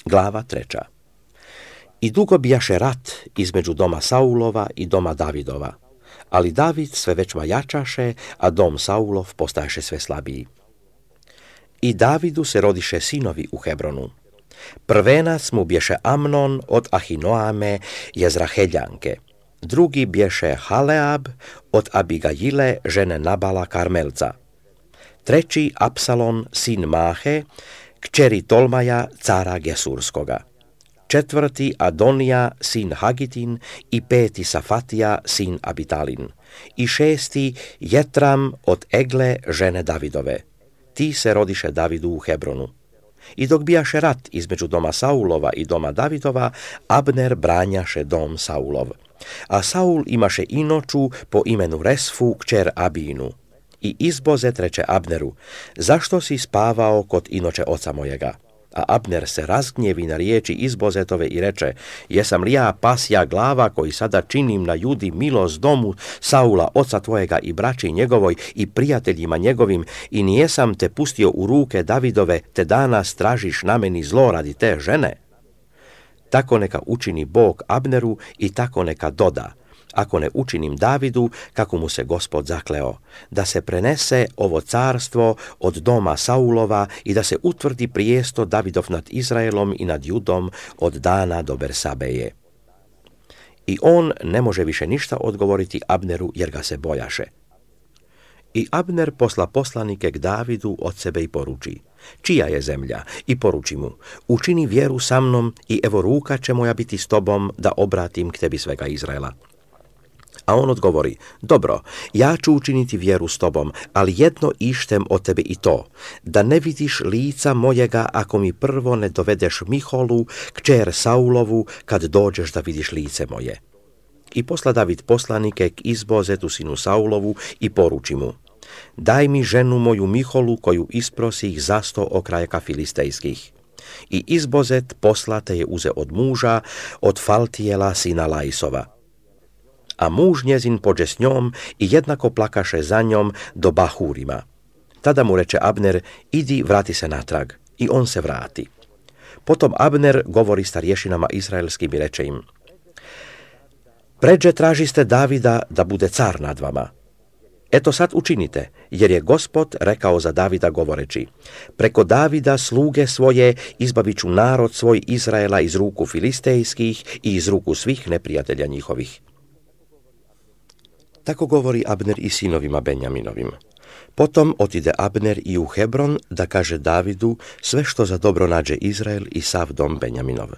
Glava 3. I dugo bijaše rat između doma Saulova i doma Davidova, ali David sve većma jačaše, a dom Saulov postajaše sve slabiji. I Davidu se rodiše sinovi u Hebronu. Prvenac mu bješe Amnon od Ahinoame Jezraheljanke, drugi bješe Haleab od Abigajile žene Nabala Karmelca, treći Apsalon sin Mahe, kćeri Tolmaja cara Gesurskoga, četvrti Adonija sin Hagitin i peti Safatija sin Abitalin i šesti Jetram od Egle žene Davidove. Ti se rodiše Davidu u Hebronu. I dok bijaše rat između doma Saulova i doma Davidova, Abner branjaše dom Saulov. A Saul imaše inoču po imenu Resfu kćer Abinu. I Izbozet reče Abneru, zašto si spavao kod inoče oca mojega? A Abner se razgnjevi na riječi Izbozetove i reče, jesam li ja pasja glava koji sada činim na Judi milost domu Saula oca tvojega i braći njegovoj i prijateljima njegovim i nijesam te pustio u ruke Davidove, te danas tražiš na meni zlo radi te žene? Tako neka učini Bog Abneru i tako neka doda, ako ne učinim Davidu, kako mu se Gospod zakleo, da se prenese ovo carstvo od doma Saulova i da se utvrdi prijesto Davidov nad Izraelom i nad Judom od Dana do Bersabeje. I on ne može više ništa odgovoriti Abneru jer ga se bojaše. I Abner posla poslanike k Davidu od sebe i poruči, čija je zemlja, i poruči mu, učini vjeru sa mnom i evo ruka će moja biti s tobom da obratim k tebi svega Izraela. A on odgovori, dobro, ja ću učiniti vjeru s tobom, ali jedno ištem od tebe i to, da ne vidiš lica mojega ako mi prvo ne dovedeš Miholu, kćer Saulovu, kad dođeš da vidiš lice moje. I posla David poslanike k Izbozetu sinu Saulovu i poruči mu, daj mi ženu moju Miholu koju isprosih zasto okrajaka filistejskih. I Izbozet poslate je uze od muža, od Faltijela sina Lajsova. A muž njezin pođe s njom i jednako plakaše za njom do Bahurima. Tada mu reče Abner, idi vrati se natrag. I on se vrati. Potom Abner govori starješinama izraelskim i reče im, pređe tražiste Davida da bude car nad vama. Eto sad učinite, jer je Gospod rekao za Davida govoreći, preko Davida sluge svoje izbavit ću narod svoj Izraela iz ruku filistejskih i iz ruku svih neprijatelja njihovih. Tako govori Abner i sinovima Benjaminovim. Potom otide Abner i u Hebron da kaže Davidu sve što za dobro nađe Izrael i sav dom Benjaminov.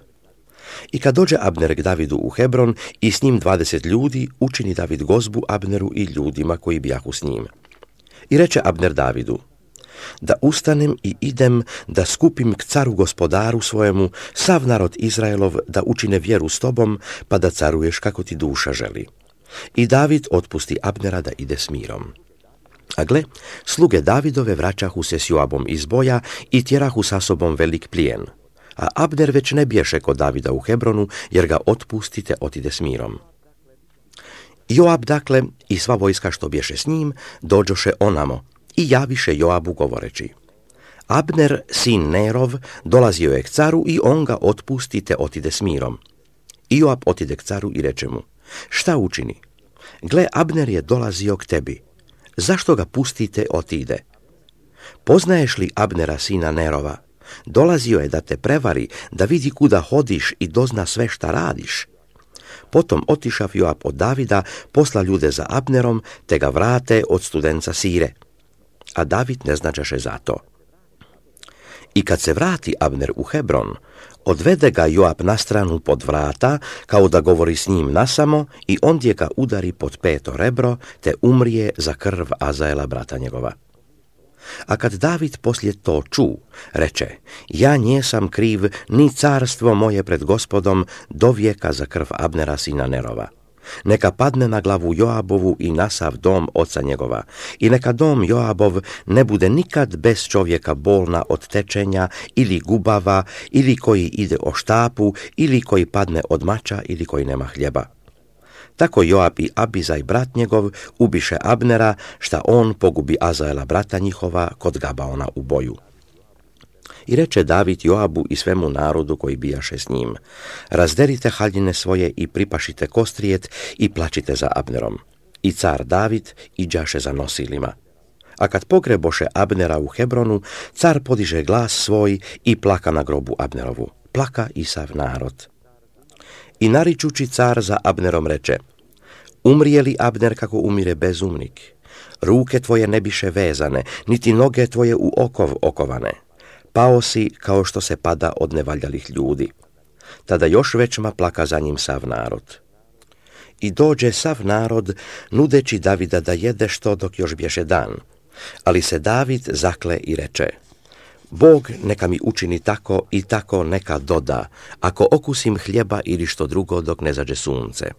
I kad dođe Abner k Davidu u Hebron i s njim 20 ljudi, učini David gozbu Abneru i ljudima koji bijahu s njim. I reče Abner Davidu, da ustanem i idem da skupim k caru gospodaru svojemu sav narod Izraelov da učine vjeru s tobom, pa da caruješ kako ti duša želi. I David otpusti Abnera da ide s mirom. A gle, sluge Davidove vraćahu se s Joabom iz boja i tjerahu sa sobom velik plijen. A Abner već ne bješe kod Davida u Hebronu, jer ga otpustite otide s mirom. Joab dakle i sva vojska što bješe s njim dođoše onamo i javiše Joabu govoreći, Abner, sin Nerov, dolazio je k caru i on ga otpustite otide s mirom. I Joab otide k caru i reče mu, šta učini? Gle, Abner je dolazio k tebi. Zašto ga pustite otide? Poznaješ li Abnera sina Nerova? Dolazio je da te prevari, da vidi kuda hodiš i dozna sve šta radiš. Potom otišav Joab od Davida, posla ljude za Abnerom, te ga vrate od studenca Sire. A David ne značaše za to. I kad se vrati Abner u Hebron, odvede ga Joab na stranu pod vrata, kao da govori s njim nasamo, i ondje ga udari pod peto rebro, te umrije za krv Azaela brata njegova. A kad David poslije to ču, reče, ja njesam kriv ni carstvo moje pred Gospodom do vijeka za krv Abnera sina Nerova. Neka padne na glavu Joabovu i na sav dom oca njegova, i neka dom Joabov ne bude nikad bez čovjeka bolna od tečenja ili gubava, ili koji ide o štapu, ili koji padne od mača, ili koji nema hljeba. Tako Joab i Abizaj brat njegov ubiše Abnera, šta on pogubi Azaela brata njihova kod Gabaona u boju. I reče David Joabu i svemu narodu koji bijaše s njim: razderite haljine svoje i pripašite kostrijet i plačite za Abnerom. I car David iđaše za nosilima. A kad pogreboše Abnera u Hebronu, car podiže glas svoj i plaka na grobu Abnerovu. Plaka i sav narod. I naričući car za Abnerom reče: umrije li Abner kako umire bezumnik? Ruke tvoje ne biše vezane, niti noge tvoje u okov okovane. Pao si kao što se pada od nevaljalih ljudi. Tada još većma plaka za njim sav narod. I dođe sav narod, nudeći Davida da jede što dok još bješe dan. Ali se David zakle i reče: Bog neka mi učini tako i tako neka doda, ako okusim hljeba ili što drugo dok ne zađe sunce.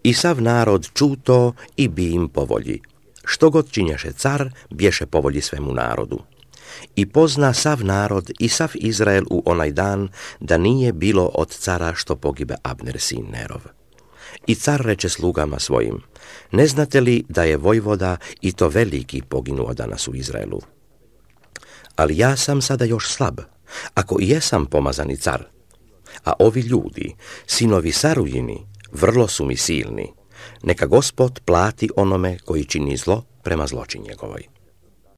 I sav narod čuto i bi im po volji. Što god činješe car, bješe po volji svemu narodu. I pozna sav narod i sav Izrael u onaj dan da nije bilo od cara što pogibe Abner sin Nerov. I car reče slugama svojim: ne znate li da je vojvoda i to veliki poginuo danas u Izraelu? Ali ja sam sada još slab, ako i jesam pomazani car. A ovi ljudi, sinovi Sarujini, vrlo su mi silni. Neka Gospod plati onome koji čini zlo prema zloči njegovoj.